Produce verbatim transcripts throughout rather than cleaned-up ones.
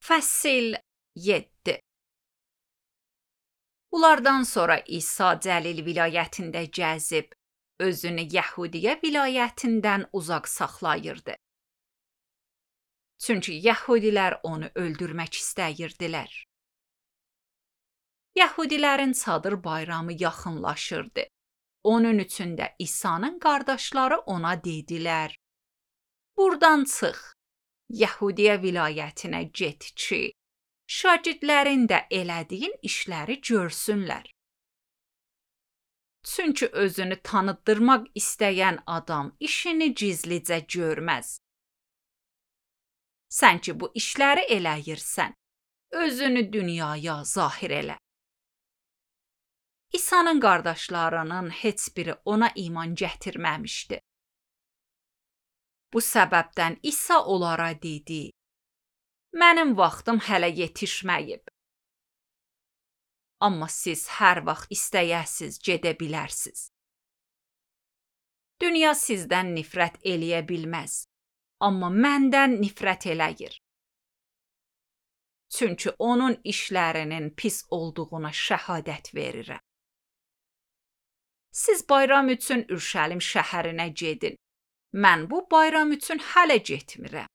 Fəsil yeddi. Bunlardan sonra İsa Cəlil vilayətində gəzib, özünü Yəhudiyə vilayətindən uzaq saxlayırdı. Çünki Yəhudilər onu öldürmək istəyirdilər. Yəhudilərin çadır bayramı yaxınlaşırdı. Onun üçün də İsa'nın qardaşları ona dedilər: "Buradan çıx, Yəhudiyə vilayətinə get ki, şagirdlərin də elədiyin işləri görsünlər. Çünki özünü tanıtdırmaq istəyən adam işini gizlicə görməz. Sən ki bu işləri eləyirsən, özünü dünyaya zahir elə." İsa'nın qardaşlarının heç biri ona iman gətirməmişdi. Bu səbəbdən İsa onlara dedi: "Mənim vaxtım hələ yetişməyib. Amma siz hər vaxt istəyəsiz gedə bilərsiniz. Dünya sizdən nifrət eləyə bilməz, amma məndən nifrət eləyir. Çünki onun işlərinin pis olduğuna şəhadət verirəm. Siz bayram üçün Ürşəlim şəhərinə gedin. Mən bu bayram üçün hələ getmirəm.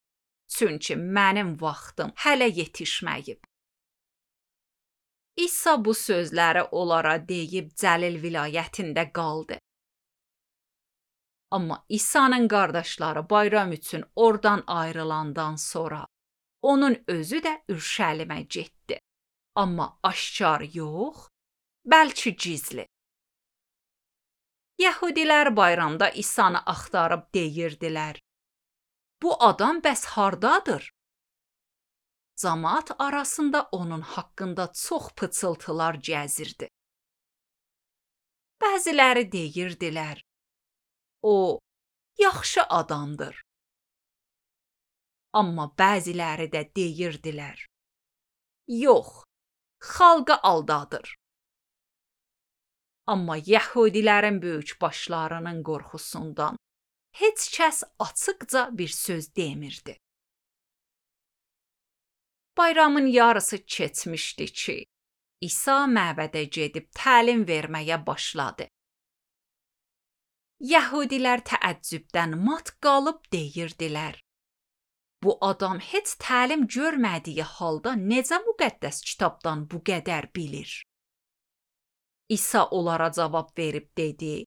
Çünki mənim vaxtım hələ yetişməyib." İsa bu sözləri onlara deyib Cəlil vilayətində qaldı. Amma İsa'nın qardaşları bayram üçün oradan ayrılandan sonra onun özü də Ürşəlimə getdi. Amma aşkar yox, bəlkə gizli. Yəhudilər bayramda İsa'nı axtarıb deyirdilər: "Bu adam bəs hardadır?" Camaat arasında onun haqqında çox pıçıltılar gəzirdi. Bəziləri deyirdilər: "O, yaxşı adamdır." Amma bəziləri də deyirdilər: "Yox, xalqı aldadır." Amma Yəhudilərin böyük başlarının qorxusundan heç kəs açıqca bir söz demirdi. Bayramın yarısı keçmişdi ki, İsa məbədə gedib təlim verməyə başladı. Yəhudilər təəccübdən mat qalıb deyirdilər: "Bu adam heç təlim görmədiyi halda necə müqəddəs kitabdan bu qədər bilir?" İsa onlara cavab verib dedi: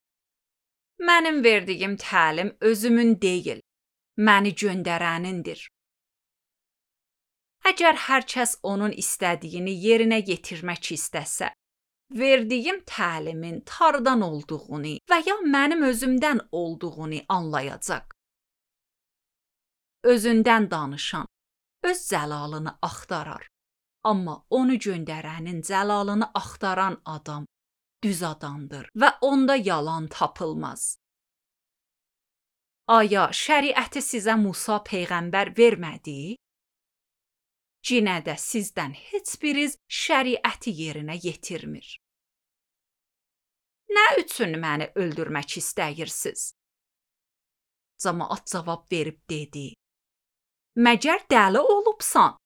"Mənim verdiyim təlim özümün deyil, məni göndərənindir. Əgər hər kəs onun istədiyini yerinə yetirmək istəsə, verdiyim təlimin tardan olduğunu və ya mənim özümdən olduğunu anlayacaq. Özündən danışan öz cəlalını axtarar, amma onu göndərənin cəlalını axtaran adam düz adamdır və onda yalan tapılmaz. Aya şəriəti sizə Musa peyğəmbər vermədi? Yenə də sizdən heç biriniz şəriəti yerinə yetirmir. Nə üçün məni öldürmək istəyirsiniz?" Camaat cavab verib dedi: "Məgər dəli olubsan?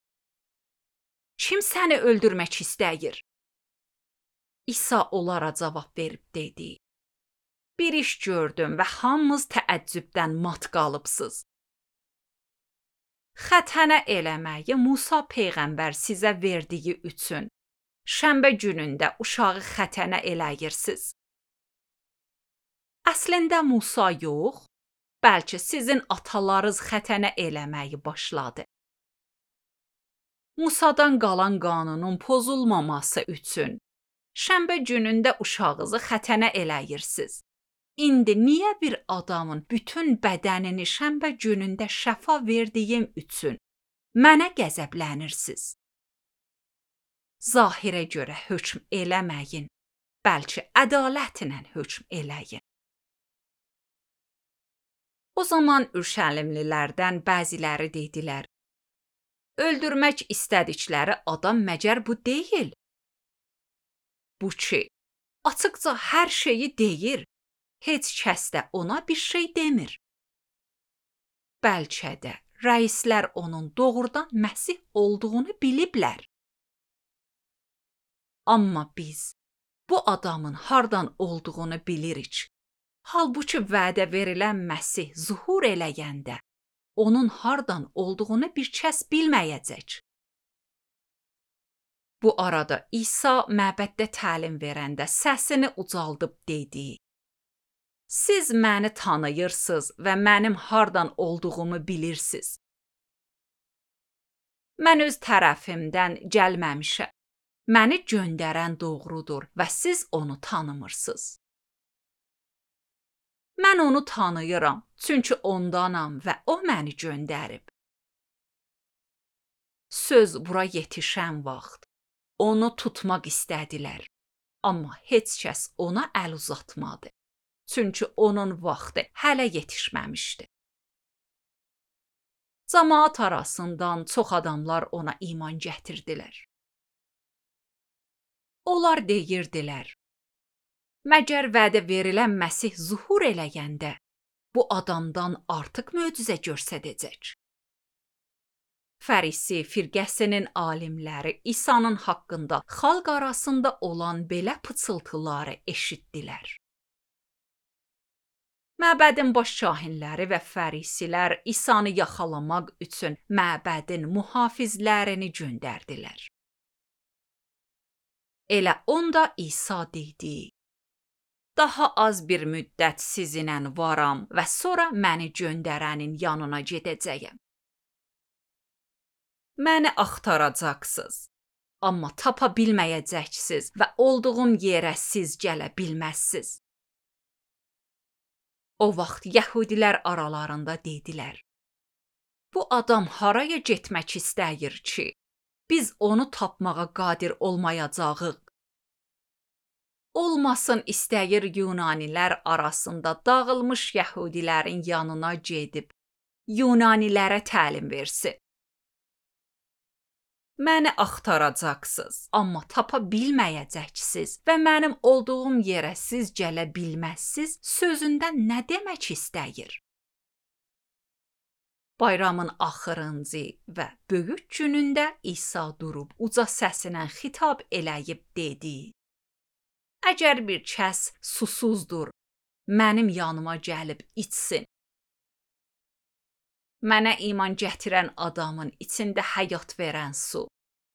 Kim səni öldürmək istəyir?" İsa onlara cavab verib dedi: "Bir iş gördüm və hamınız təəccübdən mat qalıbsınız. Xətənə eləməyi Musa peyğəmbər sizə verdiyi üçün şənbə günündə uşağı xətənə eləyirsiniz. Əslində Musa yox, bəlkə sizin atalarınız xətənə eləməyi başladı. Musadan qalan qanunun pozulmaması üçün şənbə günündə uşağınızı xətənə eləyirsiniz. İndi niyə bir adamın bütün bədənini şənbə günündə şəfa verdiyim üçün mənə qəzəblənirsiniz? Zahirə görə hökm eləməyin, bəlkə ədalətlə hökm eləyin." O zaman Ürşəlimlilərdən bəziləri dedilər: "Öldürmək istədikləri adam məgər bu deyil? Bu ki, açıqca hər şeyi deyir, heç kəs də ona bir şey demir. Bəlkə də rəislər onun doğrudan Məsih olduğunu biliblər. Amma biz bu adamın hardan olduğunu bilirik. Halbuki vədə verilən Məsih zuhur eləyəndə onun hardan olduğunu bir kəs bilməyəcək. Bu arada İsa məbəddə təlim verəndə səsini ucaldıb dedi: Siz məni tanıyırsınız və mənim hardan olduğumu bilirsiniz. Mən öz tərəfimdən gəlməmişəm. Məni göndərən doğrudur və siz onu tanımırsınız. Mən onu tanıyıram, çünki ondanam və o məni göndərib. Söz bura yetişən vaxt onu tutmaq istədilər, amma heç kəs ona əl uzatmadı, çünki onun vaxtı hələ yetişməmişdi. Cəmaət arasından çox adamlar ona iman gətirdilər. Onlar deyirdilər: Məgər vədə verilən Məsih zuhur eləyəndə bu adamdan artıq möcüzə göstərəcək. Fərisi firqəsinin alimləri İsa'nın haqqında xalq arasında olan belə pıçıltıları eşitdilər. Məbədin baş kahinləri və fərisilər İsa'nı yaxalamaq üçün məbədin mühafizlərini göndərdilər. Elə onda İsa dedi: Daha az bir müddət sizinlə varam və sonra məni göndərənin yanına gedəcəyəm. Məni axtaracaqsınız, amma tapa bilməyəcəksiniz və olduğum yerə siz gələ bilməzsiniz. O vaxt yəhudilər aralarında dedilər: Bu adam haraya getmək istəyir ki, biz onu tapmağa qadir olmayacağıq. Olmasın istəyir Yunanilər arasında dağılmış yəhudilərin yanına gedib Yunanilərə təlim versin. Məni axtaracaqsınız, amma tapa bilməyəcəksiniz və mənim olduğum yerə siz gələ bilməzsiniz sözündən nə demək istəyir? Bayramın axırıncı və böyük günündə İsa durub uca səsinə xitab eləyib dedi: Əgər bir kəs susuzdur, mənim yanıma gəlib içsin. Mənə iman gətirən adamın içində həyat verən su,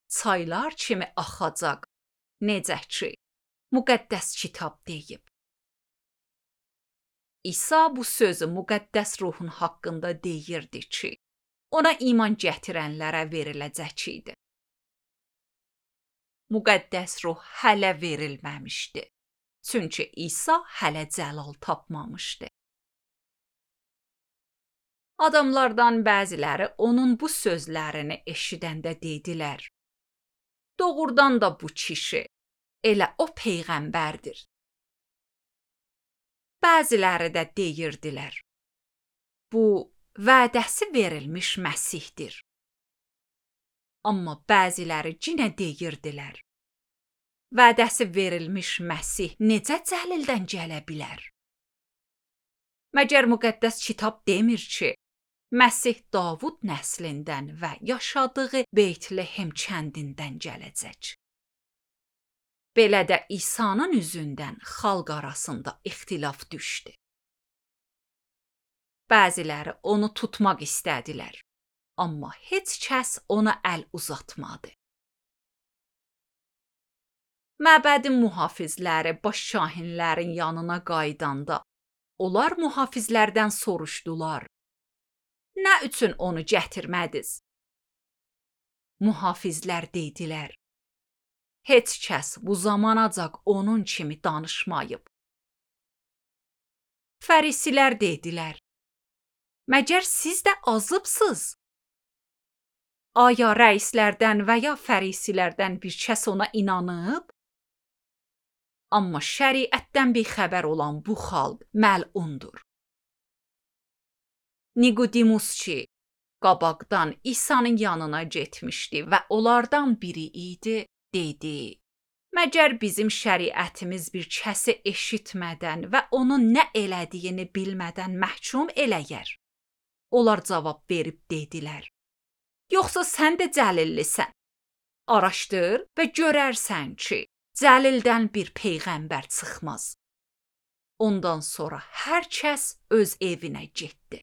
çaylar kimi axacaq, necə ki, müqəddəs kitab deyib. İsa bu sözü müqəddəs ruhun haqqında deyirdi ki, ona iman gətirənlərə veriləcək idi. Müqəddəs ruh hələ verilməmişdi, çünki İsa hələ cəlal tapmamışdı. Adamlardan bəziləri onun bu sözlərini eşidəndə dedilər: Doğrudan da bu kişi, elə o peyğəmbərdir. Bəziləri də deyirdilər: Bu, vədəsi verilmiş Məsihdir. Amma bəziləri yenə deyirdilər: Vədəsi verilmiş Məsih necə cəlildən gələ bilər? Məgər müqəddəs kitab demir ki, Məsih Davud nəslindən və yaşadığı Beytlehem kəndindən gələcək. Belə də İsa'nın üzündən xalq arasında ixtilaf düşdü. Bəziləri onu tutmaq istədilər, amma heç kəs ona əl uzatmadı. Məbədin mühafizləri baş kahinlərin yanına qayıdanda, onlar mühafizlərdən soruşdular: Nə üçün onu gətirmədiniz? Mühafizlər dedilər: Heç kəs bu zamanacaq onun kimi danışmayıb. Fərisilər dedilər: Məgər siz də azıbsınız? Aya rəislərdən və ya fərisilərdən bir kəs ona inanıb? Amma şəriətdən bixəbər olan bu xalq məlundur. Nikodemus ki, qabaqdan İsa'nın yanına getmişdi və onlardan biri idi, dedi: Məgər bizim şəriətimiz bir kəsi eşitmədən və onun nə elədiyini bilmədən məhkum eləyər? Onlar cavab verib dedilər: Yoxsa sən də Cəlillisən? Araşdır və görərsən ki, Cəlildən bir peyğəmbər çıxmaz. Ondan sonra hər kəs öz evinə getdi.